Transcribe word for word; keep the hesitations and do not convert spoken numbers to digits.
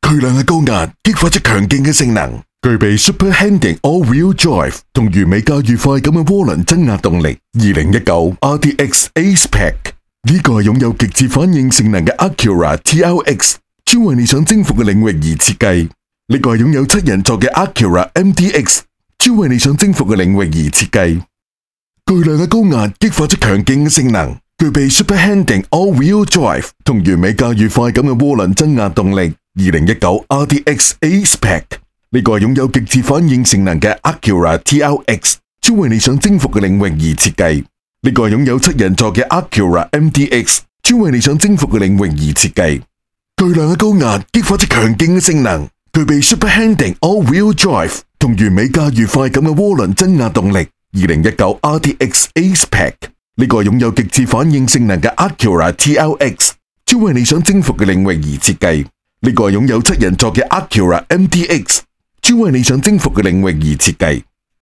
巨量嘅高壓激發出強勁嘅性能，具備 Super Handling All-Wheel Drive 同完美駕馭快感嘅渦輪增壓動力。二零一九 R D X A-Spec 呢個係擁有極致反應性能嘅 Acura T L X， 專為你想征服嘅領域而設計。呢個係擁有七人座嘅 Acura M D X， 專為你想征服嘅領域而設計。巨量嘅高壓激發出強勁嘅性能，具備 Super Handling All-Wheel Drive 同完美駕馭快感嘅渦輪增壓動力。二零一九 R D X A-Spec 呢個係擁有極致反應性能嘅 Acura T L X， 專為你想征服嘅領域而設計。呢個係擁有七人座嘅 Acura M D X， 專為你想征服嘅領域而設計。巨量嘅高壓激發出強勁嘅性能，具備 Super Handling All-Wheel Drive 同完美駕馭快感嘅渦輪增壓動力。二零一九 R D X A-Spec 呢個係擁有極致反應性能嘅 Acura T L X， 專為你想征服嘅領域而設計。呢個係擁有七人座嘅 Acura M D X， 專為你想征服嘅領域而設計。